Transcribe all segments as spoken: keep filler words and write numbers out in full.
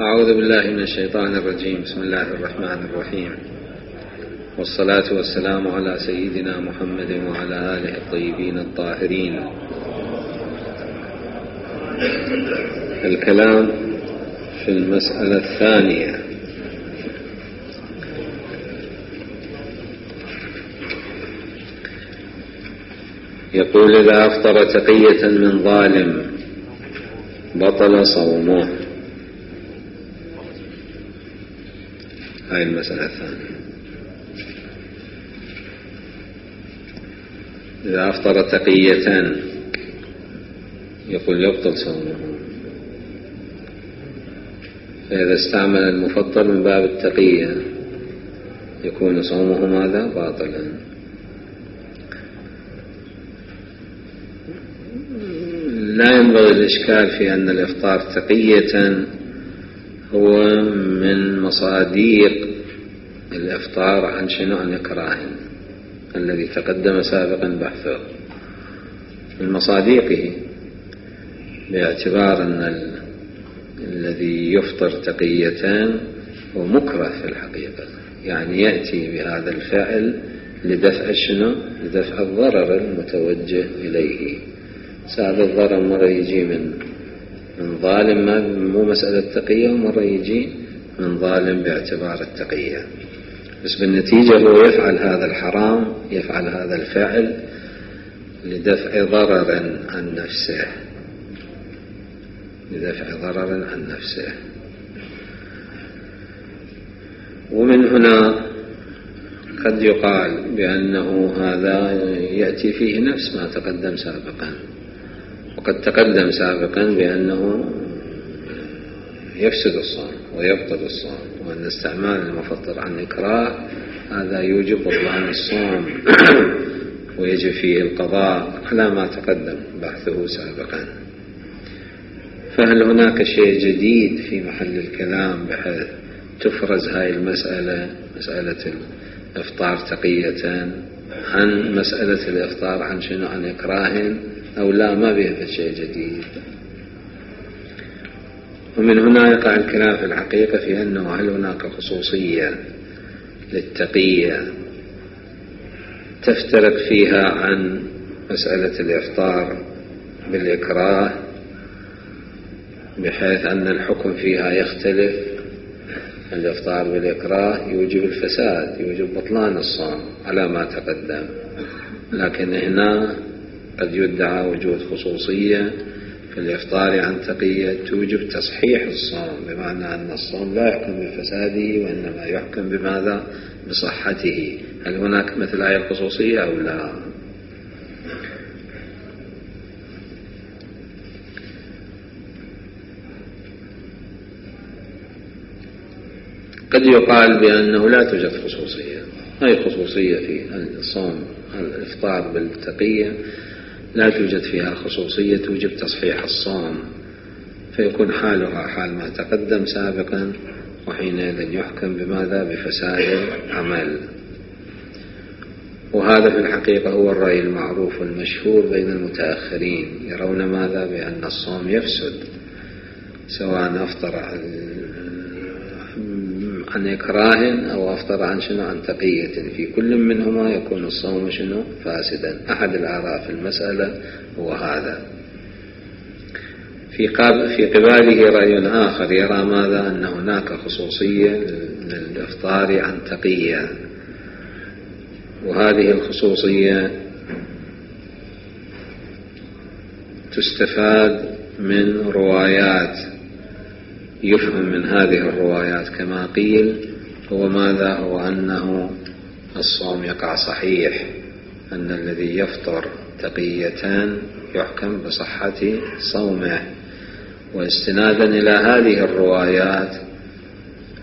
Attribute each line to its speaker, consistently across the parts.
Speaker 1: أعوذ بالله من الشيطان الرجيم. بسم الله الرحمن الرحيم، والصلاة والسلام على سيدنا محمد وعلى آله الطيبين الطاهرين. الكلام في المسألة الثانية. يقول: إذا أفطر تقية من ظالم بطل صومه. هاي المسألة الثانية. إذا أفطر تقية يقول يبطل صومه، فإذا استعمل المفطر من باب التقية يكون صومه ماذا؟ باطلا. لا ينبغي الإشكال في أن الإفطار تقية هو من مصاديق الإفطار عن شنو؟ عن إكراه الذي تقدم سابقا بحثه، من مصاديقه، باعتبار أن ال... الذي يفطر تقية هو مكره في الحقيقة، يعني يأتي بهذا الفعل لدفع شنو؟ لدفع الضرر المتوجه إليه. سبب الضرر مرة يجي من من ظالم، ما مو مسألة تقية، ومرة يجي من ظالم باعتبار التقية، بس بالنتيجة هو يفعل هذا الحرام، يفعل هذا الفعل لدفع ضرر عن نفسه، لدفع ضرر عن نفسه. ومن هنا قد يقال بأنه هذا يأتي فيه نفس ما تقدم سابقا، وقد تقدم سابقا بأنه يفسد الصوم ويبطل الصوم، وأن استعمال المفطر عن إكراه هذا يوجب بطلان الصوم ويجب فيه القضاء على ما تقدم بحثه سابقا. فهل هناك شيء جديد في محل الكلام بحيث تفرز هاي المسألة، مسألة الإفطار تقية، عن مسألة الإفطار عن شنو؟ عن إكراه، أو لا؟ ما بيها شيء جديد. ومن هنا يقع الكلام في الحقيقة في أنه هل هناك خصوصية للتقية تفترق فيها عن مسألة الإفطار بالإكراه، بحيث أن الحكم فيها يختلف. الإفطار بالإكراه يوجب الفساد، يوجب بطلان الصوم على ما تقدم، لكن هنا قد يدعى وجود خصوصية في الإفطار عن تقية توجب تصحيح الصوم، بمعنى أن الصوم لا يحكم بفساده وإنما يحكم بماذا؟ بصحته. هل هناك مثل هذه الخصوصية أو لا؟ قد يقال بأنه لا توجد خصوصية. هاي خصوصية في الصوم الإفطار بالتقية لا توجد فيها خصوصية توجب تصحيح الصوم، فيكون حالها حال ما تقدم سابقا، وحينئذ يحكم بماذا؟ بفساد العمل. وهذا في الحقيقة هو الرأي المعروف والمشهور بين المتأخرين، يرون ماذا؟ بأن الصوم يفسد سواء أفطر عن إكراه أو أفطر عن شنو؟ عن تقية، في كل منهما يكون الصوم شنو؟ فاسدا. أحد الآراء في المسألة هو هذا. في في قباله رأي آخر يرى ماذا؟ أن هناك خصوصية للإفطار عن تقية، وهذه الخصوصية تستفاد من روايات، يفهم من هذه الروايات كما قيل هو ماذا؟ هو أنه الصوم يقع صحيح، أن الذي يفطر تقية يحكم بصحة صومه. واستنادا إلى هذه الروايات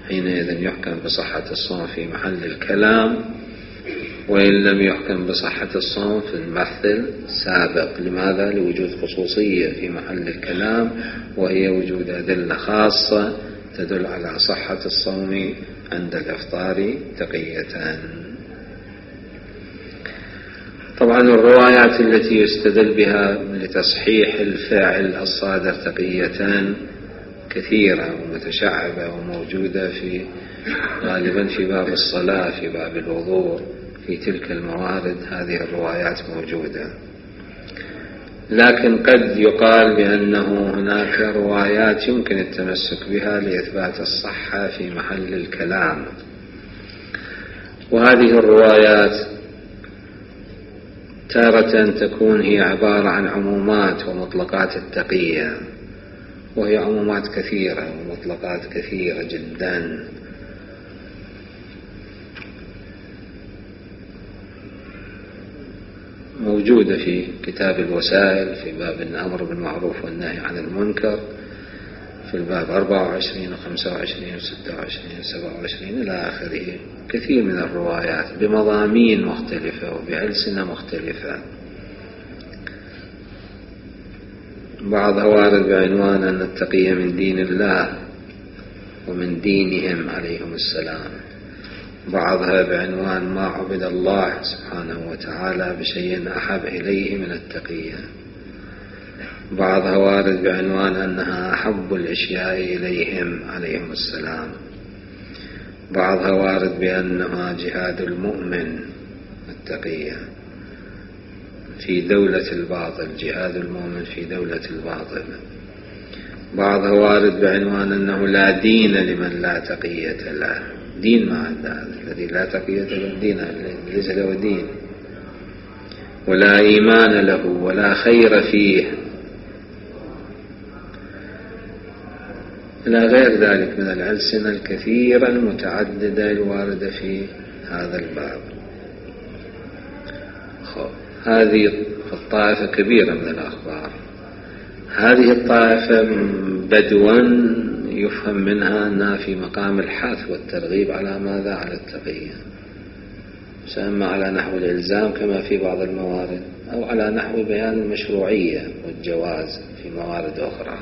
Speaker 1: حينئذ يحكم بصحة الصوم في محل الكلام، وإن لم يحكم بصحة الصوم في البحث السابق. لماذا؟ لوجود خصوصية في محل الكلام، وهي وجود أدلة خاصة تدل على صحة الصوم عند الإفطار تقية. طبعا الروايات التي يستدل بها لتصحيح الفاعل الصادر تقيتان كثيرة ومتشعبة وموجودة في غالبا في باب الصلاة، في باب الوضوء، في تلك الموارد هذه الروايات موجودة. لكن قد يقال بأنه هناك روايات يمكن التمسك بها لإثبات الصحة في محل الكلام، وهذه الروايات تارة تكون هي عبارة عن عمومات ومطلقات التقية، وهي عمومات كثيرة ومطلقات كثيرة جدا. موجودة في كتاب الوسائل في باب الأمر بالمعروف والنهي عن المنكر، في الباب أربعة وعشرين وخمسة وعشرين وستة وعشرين وسبعة وعشرين إلى آخره، كثير من الروايات بمضامين مختلفة وبألسنة مختلفة. بعضها وارد بعنوان أن التقية من دين الله ومن دينهم عليهم السلام، بعضها بعنوان ما عبد الله سبحانه وتعالى بشيء أحب إليه من التقية، بعضها وارد بعنوان أنها أحب الأشياء إليهم عليهم السلام، بعضها وارد بأنها جهاد المؤمن التقية في دولة الباطل، جهاد المؤمن في دولة الباطل، بعضها وارد بعنوان أنه لا دين لمن لا تقية له، دين ما عنده الذي لا تقية له دين ليس له دين، ولا إيمان له ولا خير فيه، إلى غير ذلك من الألسنة الكثيرة المتعددة الواردة في هذا الباب. هذه الطائفة كبيرة من الأخبار. هذه الطائفة بدوا يفهم منها أنها في مقام الحث والترغيب على ماذا؟ على التقية، سواء على نحو الإلزام كما في بعض الموارد، أو على نحو بيان المشروعية والجواز في موارد أخرى،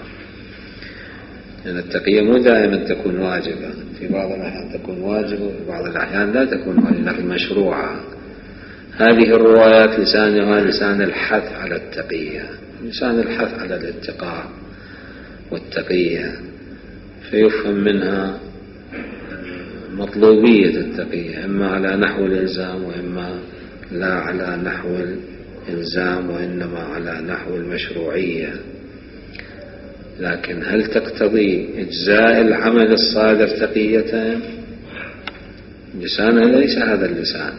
Speaker 1: لأن التقية مو دائما تكون واجبة، في بعض الأحيان تكون واجبة وفي بعض الأحيان لا تكون واجبة لكن مشروعة. هذه الروايات لسانها لسان الحث على التقية، لسان الحث على الاتقاء والتقية، فيفهم منها مطلوبية التقية إما على نحو الإلزام وإما لا على نحو الإلزام وإنما على نحو المشروعية. لكن هل تقتضي إجزاء العمل الصادر تقية؟ لسانها ليس هذا اللسان.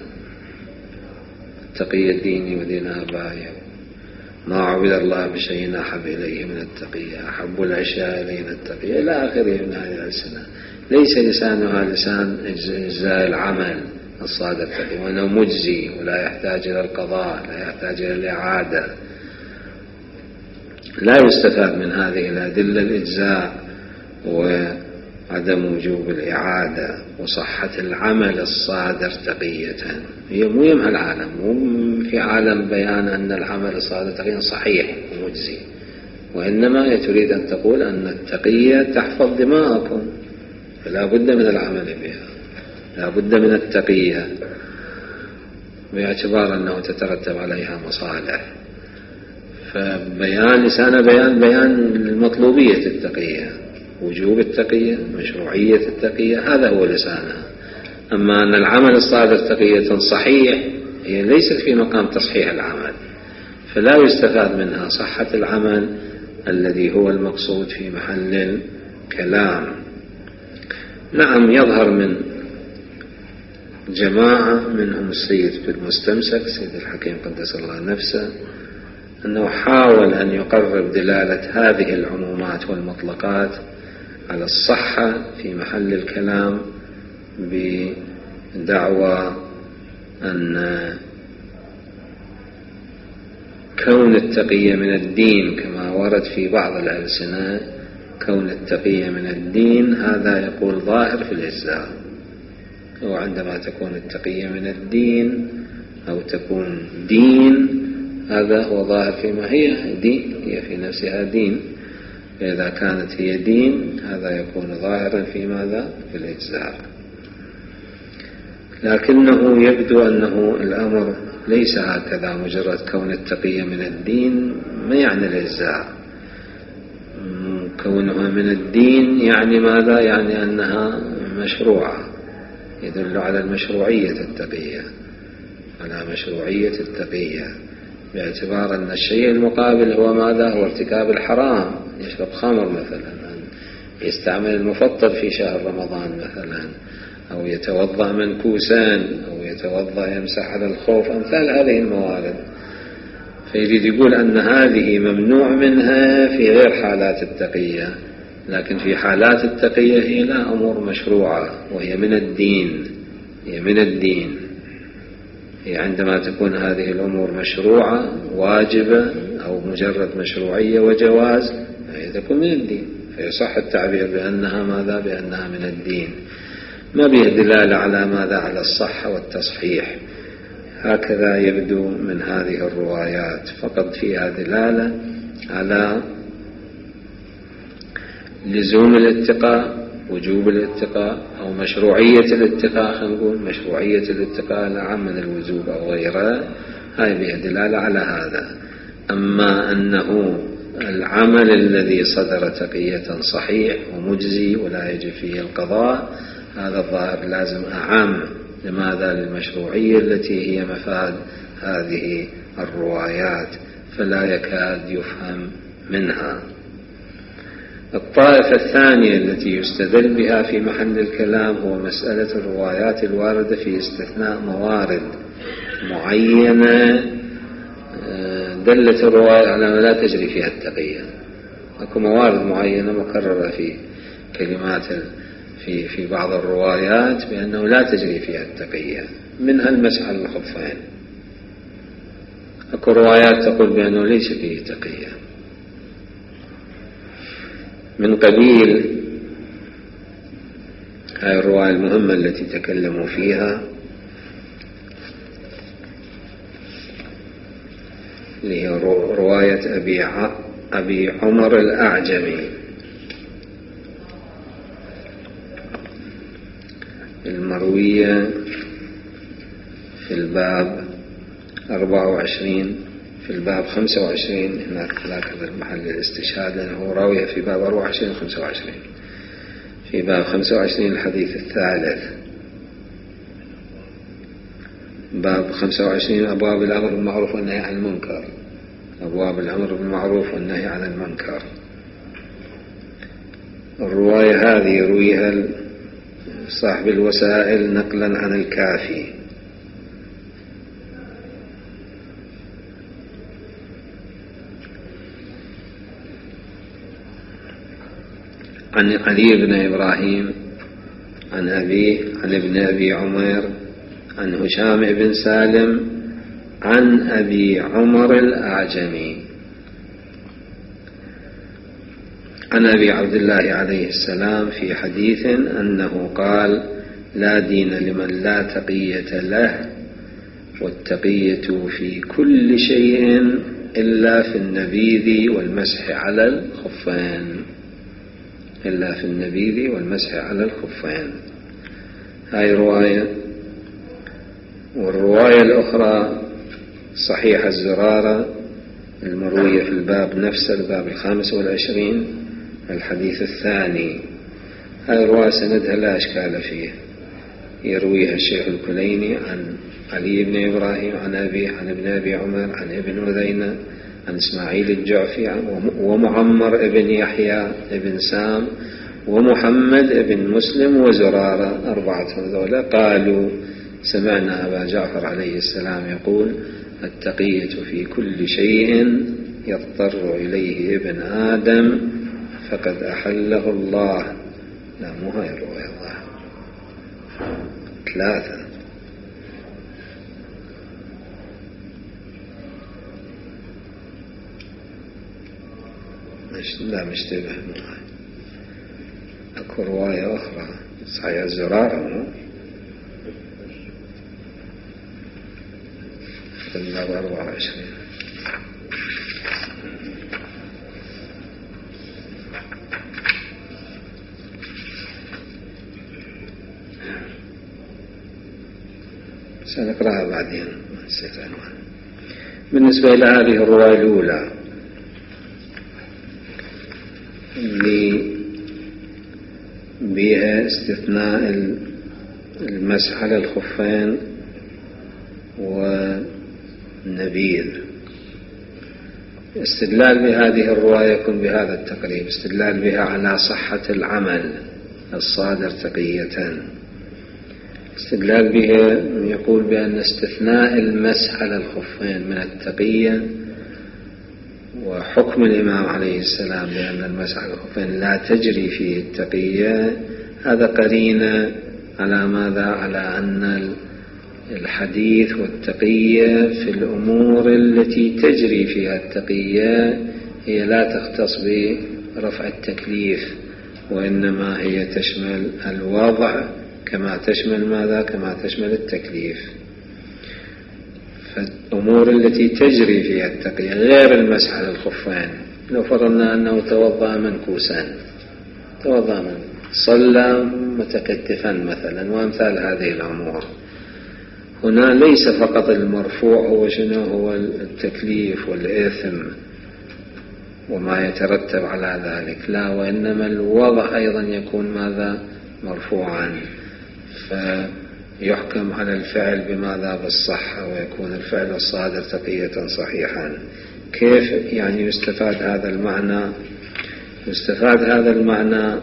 Speaker 1: التقية ديني ودين آبائي، ما عبد الله بشيء أحب إليه من التقية، أحب الأشياء إلينا التقية إلى آخره من هذه الألسنة. ليس لسانها لسان إجزاء العمل الصادر تقية، وأنه مجزي ولا يحتاج إلى القضاء، لا يحتاج إلى الإعادة. لا يستفاد من هذه الأدلة الإجزاء وعدم وجوب الإعادة وصحة العمل الصادر تقية. هي مو يمها العالم، مو في عالم بيان أن العمل الصادر تقية صحيح ومجزي، وإنما تريد أن تقول أن التقية تحفظ دماءكم، فلا بد من العمل بها، لا بد من التقية باعتبار أنه تترتب عليها مصالح. فبيان لسان بيان بيان المطلوبية التقية، وجوب التقية، مشروعية التقية، هذا هو لسانها. أما أن العمل الصادر تقية صحيح، هي ليست في مقام تصحيح العمل، فلا يستفاد منها صحة العمل الذي هو المقصود في محل الكلام. نعم، يظهر من جماعة منهم السيد في المستمسك سيد الحكيم قدس الله نفسه أنه حاول أن يقرب دلالة هذه العمومات والمطلقات على الصحة في محل الكلام بدعوى أن كون التقية من الدين كما ورد في بعض الألسنة، كون التقية من الدين هذا يقول ظاهر في الإجزاء، وعندما تكون التقية من الدين أو تكون دين هذا هو ظاهر فيما هي دين، هي في نفسها دين، فإذا كانت هي دين هذا يكون ظاهرا في ماذا؟ في الإجزاء. لكنه يبدو أنه الأمر ليس هكذا، مجرد كون التقية من الدين ما يعني الإجزاء. كونها من الدين يعني ماذا؟ يعني أنها مشروعة، يدل على المشروعية التقية، على مشروعية التقية، باعتبار أن الشيء المقابل هو ماذا؟ هو ارتكاب الحرام، يشرب خمر مثلا، يستعمل المفطر في شهر رمضان مثلا، أو يتوضأ منكوسان، أو يتوضأ يمسح على الخوف، أمثال هذه الموارد. فيريد يقول أن هذه ممنوع منها في غير حالات التقية، لكن في حالات التقية هي لا أمور مشروعة، وهي من الدين، هي من الدين. هي عندما تكون هذه الأمور مشروعة واجبة أو مجرد مشروعية وجواز، هي تكون من الدين، فيصح التعبير بأنها ماذا؟ بأنها من الدين، ما بها دلالة على ماذا؟ على الصحة والتصحيح. هكذا يبدو من هذه الروايات، فقط فيها دلالة على لزوم الاتقاء، وجوب الاتقاء، أو مشروعية الاتقاء، خلينا نقول مشروعية الاتقاء العام من الوجوب أو غيرها، هاي بها دلالة على هذا. أما أنه العمل الذي صدر تقية صحيح ومجزي ولا يجب فيه القضاء، هذا الظاهر لازم أعم. لماذا؟ للمشروعية التي هي مفاد هذه الروايات، فلا يكاد يفهم منها. الطائفة الثانية التي يستدل بها في محل الكلام هو مسألة الروايات الواردة في استثناء موارد معينة دلت الرواية على ما لا تجري فيها التقية. أكو موارد معينة مكررة في كلمات في في بعض الروايات بأنه لا تجري فيها التقية، منها المسح على الخفين. أكو روايات تقول بأنه ليس فيه تقية، من قبيل هاي الرواية المهمة التي تكلموا فيها، اللي هي رواية أبي أبي عمر الأعجمي المروية في الباب أربعة وعشرين، في الباب خمسة وعشرين، هناك هذا المحل الاستشهاد، لأنه راوية في باب أربعة وعشرين وخمسة وعشرين. في باب خمسة وعشرين الحديث الثالث، باب خمسة وعشرين أبواب الأمر بالمعروف والنهي عن المنكر، أبواب الأمر بالمعروف والنهي عن المنكر. الرواية هذه يرويها صاحب الوسائل نقلا عن الكافي، عن علي بن إبراهيم عن أبيه عن ابن أبي عمر عن هشام بن سالم عن أبي عمر الأعجمي عن أبي عبد الله عليه السلام في حديث أنه قال: لا دين لمن لا تقية له، والتقية في كل شيء إلا في النبيذ والمسح على الخفين، إلا في النبيذ والمسح على الخفين. هاي رواية. والرواية الأخرى صحيح الزرارة المروية في الباب نفسه، الباب الخامس والعشرين، الحديث الثاني. هاي الرواية سندها لا أشكال فيه، يرويها الشيخ الكليني عن علي بن إبراهيم عن أبيه عن ابن أبي عمر عن ابن عذينة عن إسماعيل الجعفي ومعمر ابن يحيى ابن سام ومحمد ابن مسلم وزرارة، أربعة هذولا قالوا: سمعنا أبا جعفر عليه السلام يقول: التقية في كل شيء يضطر إليه ابن آدم فقد أحله الله. لا، مو هاي الرواية، الله ثلاثة. مش لا مشتبه معي. أكو رواية أخرى صحيح الزرارة، مو في الباب أربعة وعشرين. سنقرأها بعدين، نسيت عنوان. بالنسبة إلى هذه الرواية الأولى اللي بها استثناء المسح على الخفين والنبيذ. استدلال بهذه الرواية يكون بهذا التقريب، استدلال بها على صحة العمل الصادر تقية. استدلال بها يقول بأن استثناء المسح على الخفين من التقية وحكم الإمام عليه السلام بأن المسح على الخفين لا تجري فيه التقية، هذا قرينة على ماذا؟ على أن الحديث والتقية في الأمور التي تجري فيها التقية هي لا تختص برفع التكليف، وإنما هي تشمل الوضع كما تشمل ماذا؟ كما تشمل التكليف. فالأمور التي تجري فيها التقية غير المسح على الخفين، لو فرضنا أنه توضأ منكوسا، توضأ من صلى متكتفا مثلا وأمثال هذه الأمور، هنا ليس فقط المرفوع هو شنو؟ هو التكليف والإثم وما يترتب على ذلك، لا، وإنما الوضع أيضا يكون ماذا؟ مرفوعا، فيحكم على الفعل بماذا؟ بالصحة، ويكون الفعل الصادر تقية صحيحا. كيف يعني يستفاد هذا المعنى؟ يستفاد هذا المعنى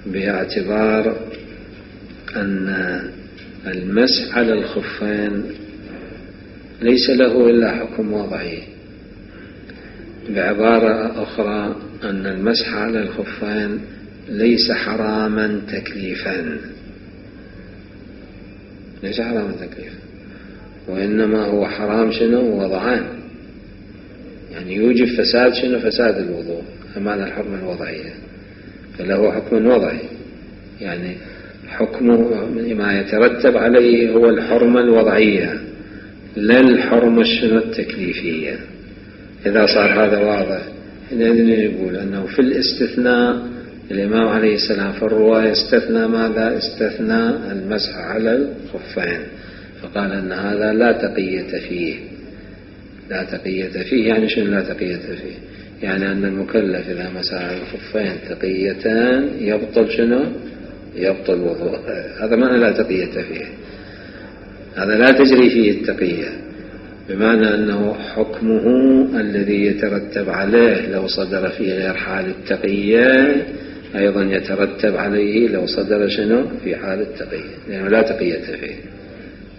Speaker 1: باعتبار أن المسح على الخفين ليس له إلا حكم وضعي. بعبارة أخرى أن المسح على الخفين ليس حراما تكليفا، ليس حراما تكليفا، وإنما هو حرام شنو؟ وضعان، يعني يوجب فساد شنو؟ فساد الوضوء، أمانة الحرمة الوضعية، فله حكم وضعي، يعني حكمه ما يترتب عليه هو الحرمة الوضعية لا الحرمة شنو؟ التكليفية. إذا صار هذا واضح، نحن نقول أنه في الاستثناء الإمام عليه السلام في الرواية استثنى ماذا؟ استثنى المسح على الخفين، فقال أن هذا لا تقية فيه. لا تقية فيه يعني شنو لا تقية فيه؟ يعني أن المكلف إذا مسح على الخفين تقيتان يبطل شنو؟ يبطل وضوء. هذا معنى لا تقية فيه، هذا لا تجري فيه التقية، بمعنى أنه حكمه الذي يترتب عليه لو صدر في غير حال التقية أيضا يترتب عليه لو صدر شنو؟ في حال التقية، لأنه لا تقية فيه،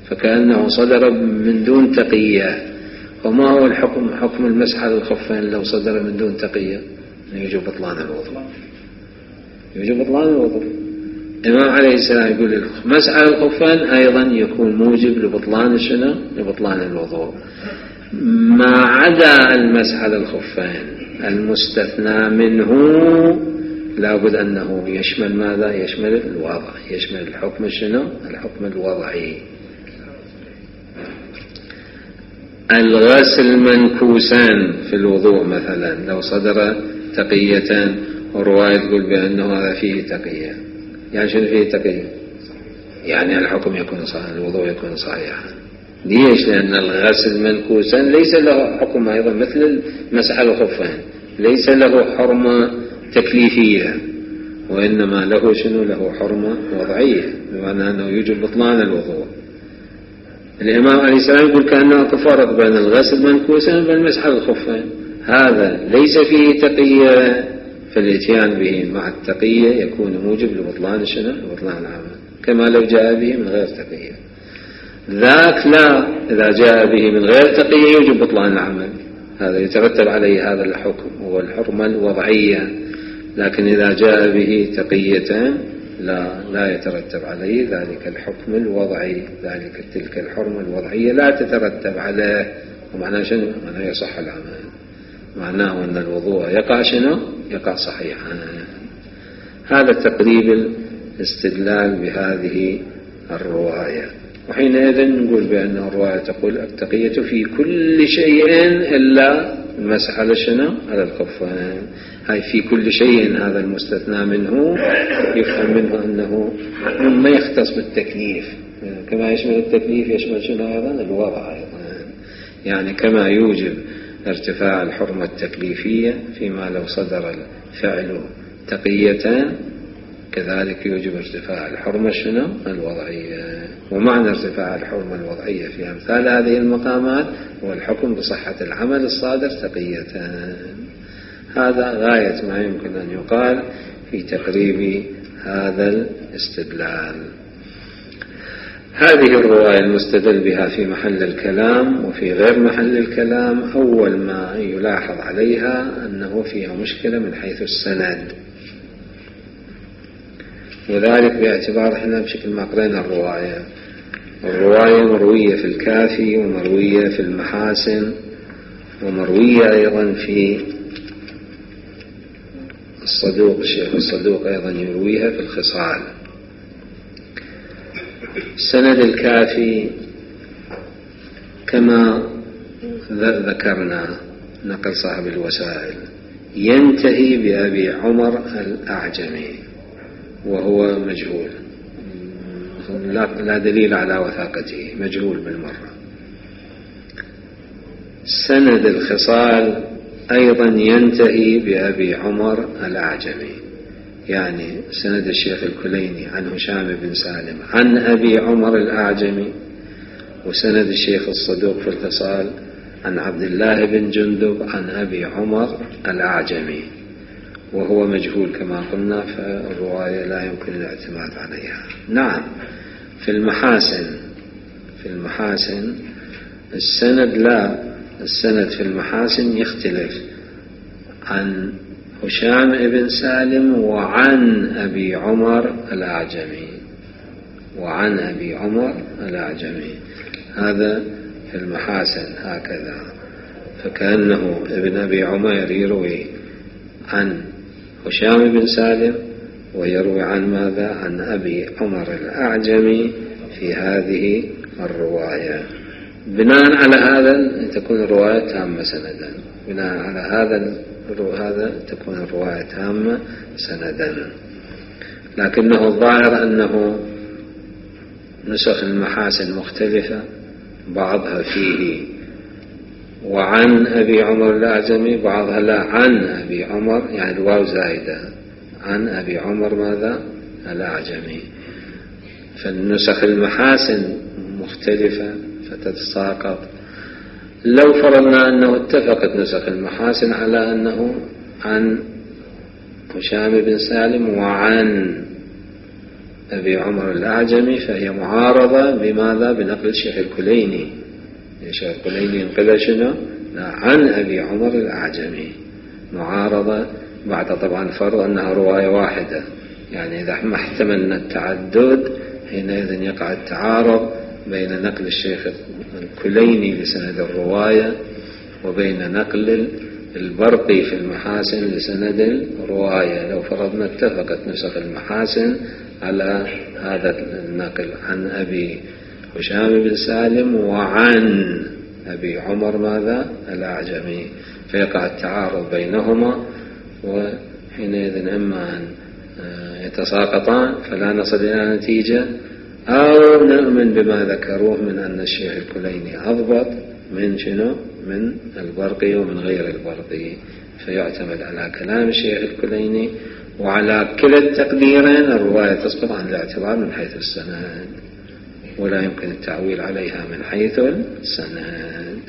Speaker 1: فكأنه صدر من دون تقية. وما هو الحكم؟ حكم المسح على الخفين لو صدر من دون تقية يوجب بطلان الوضوء، يوجب بطلان الوضوء. الإمام عليه السلام يقول المسح على الخفين أيضا يكون موجب لبطلان شنو؟ لبطلان الوضوء. ما عدا المسح على الخفين المستثنى منه لابد أنه يشمل ماذا؟ يشمل الوضع، يشمل الحكم شنو؟ الحكم الوضعي. الغسل منكوسان في الوضوء مثلا لو صدر تقية، ورواية تقول بأنه هذا فيه تقية، يعني شنو فيه تقية؟ يعني الحكم يكون صحيح، الوضوء يكون صحيحا. ليش؟ لأن الغسل منكوسا ليس له حكم أيضا مثل المسح على الخفين، ليس له حرمة تكليفية، وإنما له شنو؟ له حرمة وضعية، بمعنى أنه يوجب بطلان الوضوء. الإمام عليه السلام يقول كأنه تفرق بين الغسل منكوسا وبين المسح على الخفين، هذا ليس فيه تقية، فالاتيان به مع التقية يكون موجب لبطلان شنو؟ لبطلان العمل، كما لو جاء به من غير تقية. ذاك لا، إذا جاء به من غير تقية يوجب بطلان العمل، هذا يترتب عليه هذا الحكم هو الحرمة الوضعية. لكن إذا جاء به تقية لا لا يترتب عليه ذلك الحكم الوضعي، ذلك تلك الحرمة الوضعية لا تترتب عليه. ومعناه شنو؟ معناه يصح العمل، معناه أن الوضوء يقع شنو؟ يقع صحيحا. هذا تقريب الاستدلال بهذه الرواية. وحينئذ نقول بأن الرواية تقول التقية في كل شيء إلا المسح على شنو؟ على الخفين. هاي في كل شيء، هذا المستثنى منه يفهم منه أنه مما يختص بالتكليف، كما يشمل التكليف يشمل شنو أيضا؟ الوضع أيضا، يعني كما يوجب ارتفاع الحرمة التكليفية فيما لو صدر الفعل تقية كذلك يوجب ارتفاع الحرمة شنو الوضعية. ومعنى ارتفاع الحرمة الوضعية في أمثال هذه المقامات هو الحكم بصحة العمل الصادر تقية. هذا غاية ما يمكن أن يقال في تقريب هذا الاستدلال. هذه الرواية المستدل بها في محل الكلام وفي غير محل الكلام، أول ما يلاحظ عليها أنه فيها مشكلة من حيث السند، وذلك باعتبار احنا بشكل ما قرينا الرواية الرواية مروية في الكافي ومروية في المحاسن ومروية أيضا في الصدوق. الشيخ الصدوق أيضا يرويها في الخصال. سند الكافي كما ذكرنا نقل صاحب الوسائل ينتهي بأبي عمر الأعجمي وهو مجهول، لا دليل على وثاقته، مجهول بالمرة. سند الخصال أيضا ينتهي بأبي عمر الأعجمي، يعني سند الشيخ الكليني عن هشام بن سالم عن أبي عمر الأعجمي، وسند الشيخ الصدوق في الخصال عن عبد الله بن جندب عن أبي عمر الأعجمي وهو مجهول كما قلنا، فالرواية لا يمكن الاعتماد عليها. نعم في المحاسن في المحاسن السند لا السند في المحاسن يختلف عن هشام بن سالم وعن أبي عمر الأعجمي وعن أبي عمر الأعجمي. هذا في المحاسن هكذا، فكأنه ابن أبي عمير يروي عن هشام بن سالم ويروي عن ماذا عن أبي عمر الأعجمي في هذه الرواية. بناء على هذا تكون الرواية تامة سندا، بناء على هذا هذا تكون الرواية تامة سندا. لكنه الظاهر أنه نسخ المحاسن مختلفة، بعضها فيه وعن أبي عمر الأعجمي، بعضها لا عن أبي عمر، يعني الواو زائدة عن أبي عمر ماذا الأعجمي. فالنسخ المحاسن مختلفة فتتساقط. لو فرضنا أنه اتفقت نسخ المحاسن على أنه عن هشام بن سالم وعن أبي عمر الأعجمي فهي معارضة بماذا بنقل الشيخ الكليني. الشيخ الكليني ينقل شنو عن أبي عمر الأعجمي، معارضة بعد طبعا فرض أنها رواية واحدة، يعني إذا ما احتملنا التعدد حينئذ يقع التعارض بين نقل الشيخ الكليني لسند الرواية وبين نقل البرقي في المحاسن لسند الرواية. لو فرضنا اتفقت نسخ المحاسن على هذا النقل عن أبي هشام بن سالم وعن أبي عمر ماذا الأعجمي، فيقع التعارض بينهما، وحينئذ إما أن يتساقطان فلا نصل إلى نتيجة، أو نؤمن بما ذكروه من أن الشيخ الكليني أضبط من شنو من البرقي ومن غير البرقي، فيعتمد على كلام الشيخ الكليني. وعلى كلا التقديرين الرواية تسقط عن الاعتبار من حيث السند، ولا يمكن التعويل عليها من حيث السند،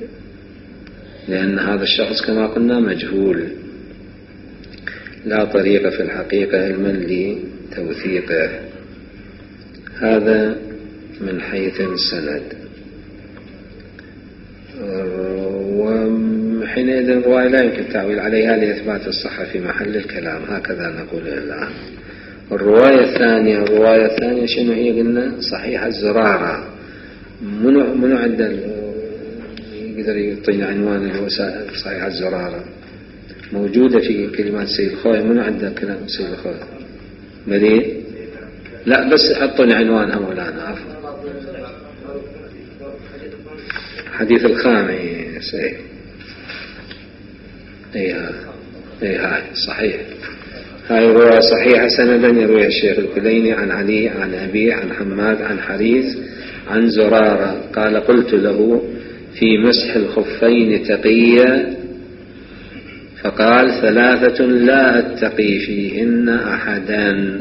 Speaker 1: لأن هذا الشخص كما قلنا مجهول، لا طريق في الحقيقة علما لتوثيقه. هذا من حيث السند. وحينئذ الرواية لا يمكن التعويل عليها لإثبات الصحة في محل الكلام، هكذا نقول الآن. الرواية الثانية الرواية الثانية شنو هي؟ قلنا صحيح الزرارة. منو منو عنده يقدر يعطينا عنوان الوسائل صحيح الزرارة؟ موجودة في كلمات سيد الخوي. منو عنده كلام سيد الخوي؟ مدين؟ لا بس حطوني عنوانها مولانا عفوا. حديث الخامس. اي اي اي هاي صحيح، هاي رواية صحيحة سندا يرويها الشيخ الكليني عن علي عن أبي عن حماد عن حريث عن زرارة قال قلت له في مسح الخفين تقية فقال ثلاثة لا أتقي فيهن أحدا: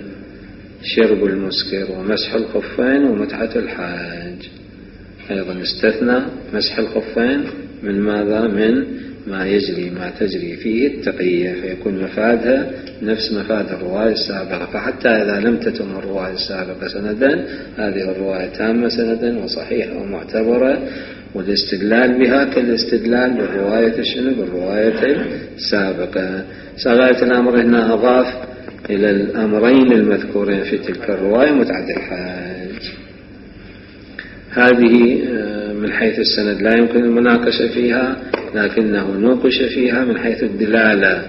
Speaker 1: شرب المسكر ومسح الخفين ومتعة الحاج. أيضا استثنى مسح الخفين من ماذا؟ من ما يجري ما تجري فيه التقية، فيكون مفادها نفس مفاد الرواية السابقة. فحتى إذا لم تتم الرواية السابقة سندا، هذه الرواية تامة سندا وصحيحة ومعتبرة، والاستدلال بها كالاستدلال بالرواية الشنو؟ بالرواية السابقة. سغاية الأمر هنا أضاف إلى الأمرين المذكورين في تلك الرواية متعة الحاج. هذه من حيث السند لا يمكن المناقشة فيها، لكنه نوقش فيها من حيث الدلالة،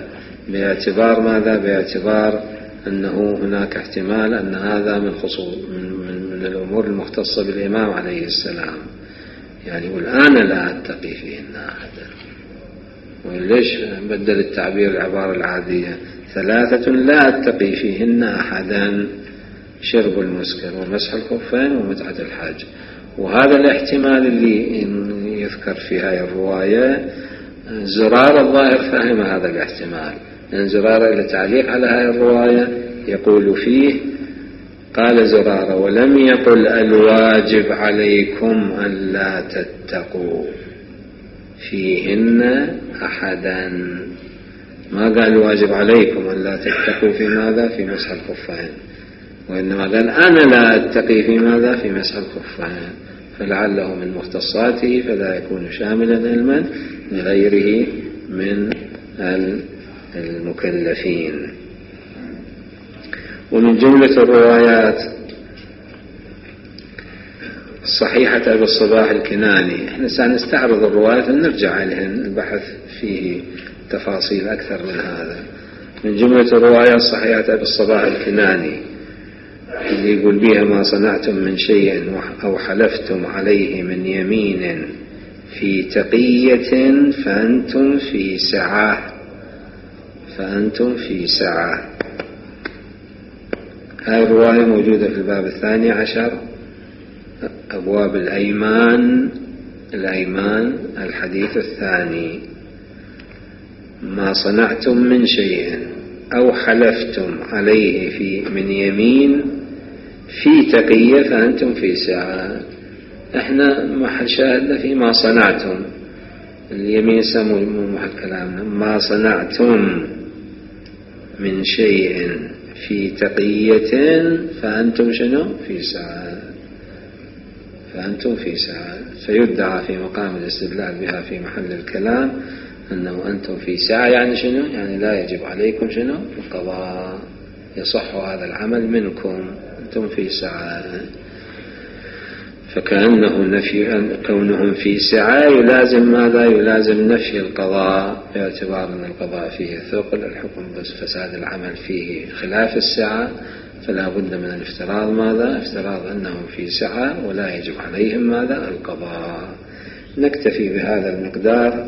Speaker 1: باعتبار ماذا؟ باعتبار أنه هناك احتمال أن هذا من خصوص من, من, من الأمور المختصة بالإمام عليه السلام. يعني والآن لا أتقي فيهن أحدا. وليش بدل التعبير العبارة العادية؟ ثلاثة لا أتقي فيهن أحدا: شرب المسكر ومسح الخفين ومتعة الحاج. وهذا الاحتمال اللي يذكر في هذه الرواية، زرار الظاهر فهم هذا الاحتمال، لأن زرار إلى تعليق على هذه الرواية يقول فيه: قال زرار: ولم يقل الواجب عليكم أن لا تتقوا فيهن أحدا. ما قال الواجب عليكم أن لا تتقوا في ماذا؟ في مسح الخفين، وإنما قال أنا لا أتقي في ماذا؟ في مسح الخفين. فلعله من مختصاته، فلا يكون شاملا علما لغيره من المكلفين. ومن جملة الروايات صحيحة أبي الصباح الكناني، احنا سنستعرض الروايات ونرجع عليهن، البحث فيه تفاصيل أكثر من هذا. من جملة الروايات صحيحة أبي الصباح الكناني اللي يقول بها: ما صنعتم من شيء أو حلفتم عليه من يمين في تقية فأنتم في سعة فأنتم في سعة. هذه الرواية موجودة في الباب الثاني عشر، أبواب الأيمان الأيمان الحديث الثاني: ما صنعتم من شيء أو حلفتم عليه في من يمين في تقية فأنتم في سعة. احنا محل شاهدنا في ما صنعتم، اليمين سمو محل كلامنا. ما صنعتم من شيء في تقية فأنتم شنو؟ في سعة فأنتم في سعة. فيدعى في مقام الاستدلال بها في محل الكلام أنه أنتم في سعة، يعني شنو؟ يعني لا يجب عليكم شنو؟ القضاء، يصح هذا العمل منكم، أنتم في سعة. فكأنه نفي كونهم في سعة يلازم ماذا؟ يلازم نفي القضاء، باعتبار أن القضاء فيه ثقل، الحكم بس فساد العمل فيه خلاف السعة، فلا بد من الافتراض ماذا؟ افتراض أنهم في سعة ولا يجب عليهم ماذا؟ القضاء. نكتفي بهذا المقدار